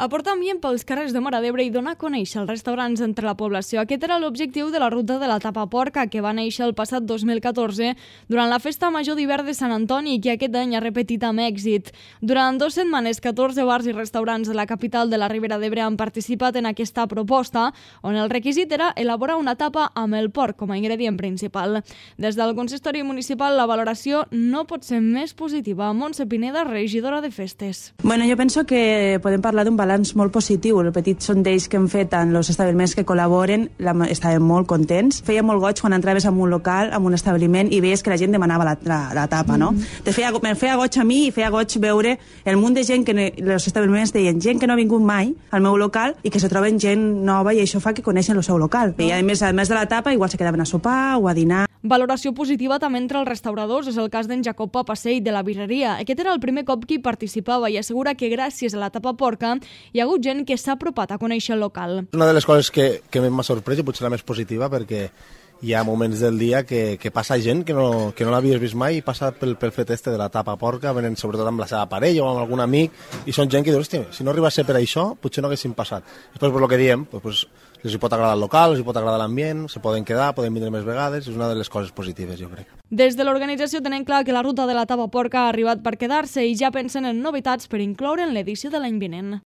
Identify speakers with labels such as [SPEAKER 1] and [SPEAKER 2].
[SPEAKER 1] Aportar ambient pels carrers de Móra d'Ebre i donar a conèixer els restaurants entre la població. Aquest era l'objectiu de la ruta de la Tapa Porca, que va néixer el passat 2014 durant la Festa Major d'Hivern de Sant Antoni i que aquest any ha repetit amb èxit. Durant 2 setmanes, 14 bars i restaurants de la capital de la Ribera d'Ebre han participat en aquesta proposta, on el requisit era elaborar una tapa amb el porc com a ingredient principal. Des del consistori municipal, la valoració no pot ser més positiva. Montse Pineda, regidora de festes.
[SPEAKER 2] Bueno, jo penso que podem parlar d'un balanç molt positiu. El petit sondeig que hem fet en els establiments que col·laboren estàvem molt contents. Feia molt goig quan entraves en un local, en un establiment, i veies que la gent demanava la tapa, no? Me feia goig a mi i feia goig veure el munt de gent que els establiments deien gent que no ha vingut mai al meu local i que se troben gent nova i això fa que coneixen el seu local. I a més de la tapa, igual se quedaven a sopar o a dinar.
[SPEAKER 1] Valoració positiva també entre els restauradors és el cas d'en Jacob Papasei de la birreria. Aquest era el primer cop que hi participava i assegura que gràcies a la tapa porca hi ha hagut gent que s'ha apropat a conèixer el local.
[SPEAKER 3] Una de les coses que m'ha sorprès i potser la més positiva perquè hi ha moments del dia que passa gent que no l'havies vist mai i passa pel fet de la tapa porca, venen sobretot amb la seva parella o amb algun amic i són gent que diu, hòstia, si no arriba a ser per això potser no haguessin passat. Després, el que diem, els hi pot agradar el local, els hi pot agradar l'ambient, se poden quedar, poden vindre més vegades, és una de les coses positives, jo crec.
[SPEAKER 1] Des de l'organització tenen clar que la ruta de la tapa porca ha arribat per quedar-se i ja pensen en novetats per incloure en l'edició de l'any vinent.